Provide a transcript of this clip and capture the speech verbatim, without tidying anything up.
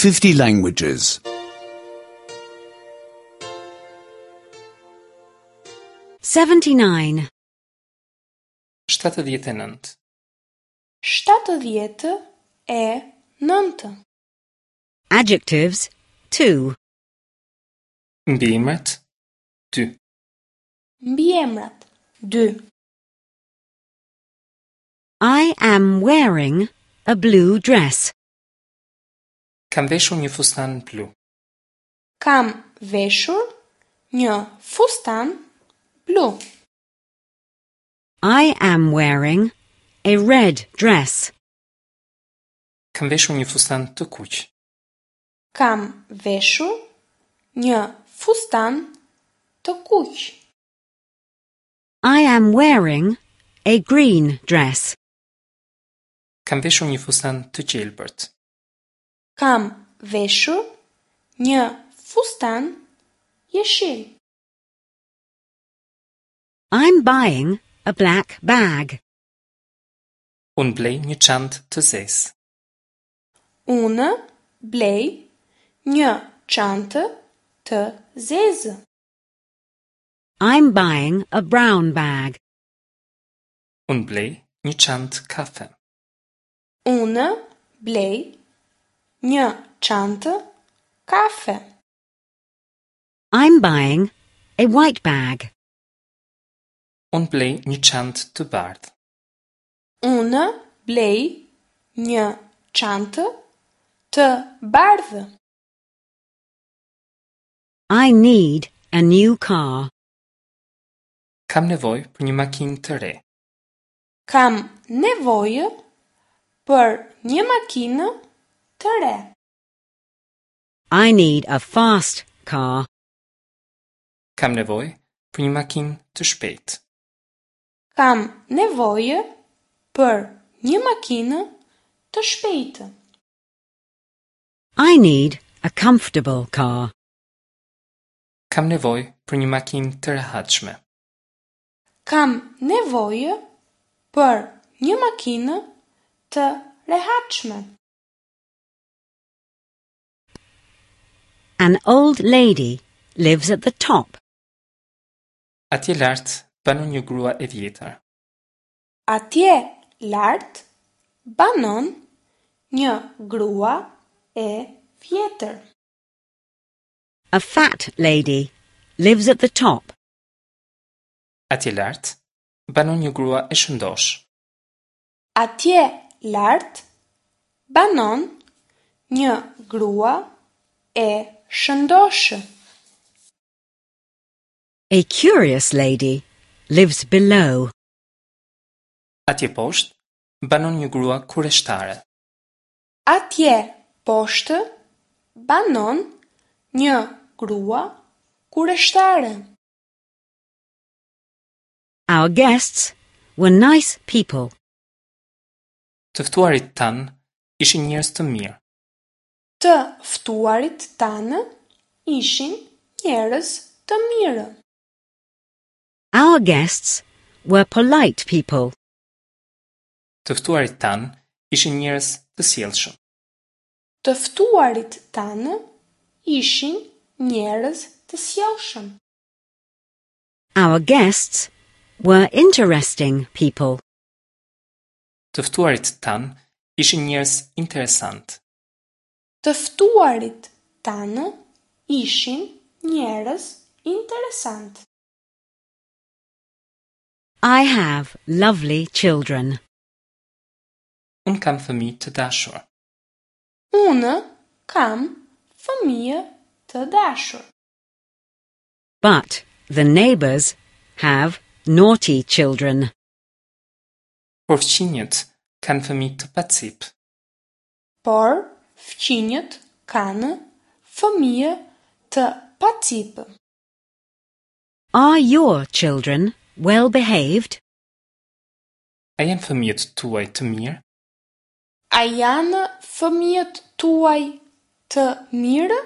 fifty languages. seventy-nine. shtatëdhjetë e nëntë. Shtatëdhjetë e nëntë. Adjectives two. Mbiemrat dy. Mbiemrat dy. I am wearing a blue dress. Kam veshur një fustan blu. Kam veshur një fustan blu. I am wearing a red dress. Kam veshur një fustan të kuq. Kam veshur një fustan të kuq. I am wearing a green dress. Kam veshur një fustan të gjelbërt. Kam veshur një fustan jeshil. I'm buying a black bag. Unë blej një çantë të zezë. Unë blej një çantë të zezë. I'm buying a brown bag. Unë blej një çantë kafe. Unë blej një çantë kafe. I'm buying a white bag. Unë blej një çantë të bardhë. Unë blej një çantë të bardhë. I need a new car. Kam nevojë për një makinë të re. Kam nevojë për një makinë të re. I need a fast car. Kam nevojë për një makinë të shpejtë. Kam nevojë për një makinë të shpejtë. I need a comfortable car. Kam nevojë për një makinë të rehatshme. Kam nevojë për një makinë të rehatshme. An old lady lives at the top. Atje lart banon një grua e vjetër. Atje lart banon një grua e vjetër. A fat lady lives at the top. Atje lart banon një grua e shëndosh. Atje lart banon një grua e shëndoshë. A curious lady lives below. Atje poshtë banon një grua kureshtare. Atje poshtë banon një grua kureshtare. Our guests were nice people. Të ftuarit tanë ishin njerëz të mirë. Të ftuarit tanë ishin njerëz të mirë. Our guests were polite people. Të ftuarit tanë ishin njerëz të sjellshëm. Të ftuarit tanë ishin njerëz të sjellshëm. Our guests were interesting people. Të ftuarit tanë ishin njerëz interesant. Të ftuarit tanë ishin njerëz interesant. I have lovely children. Unë kam fëmijë të dashur. Unë kam fëmijë të dashur. But the neighbors have naughty children. Por fqinjët kanë fëmijë të pacip. Por fqinjët kanë fëmijë të pacip. Are your children well behaved? A janë fëmijët tuaj të mirë? A janë fëmijët tuaj të mirë?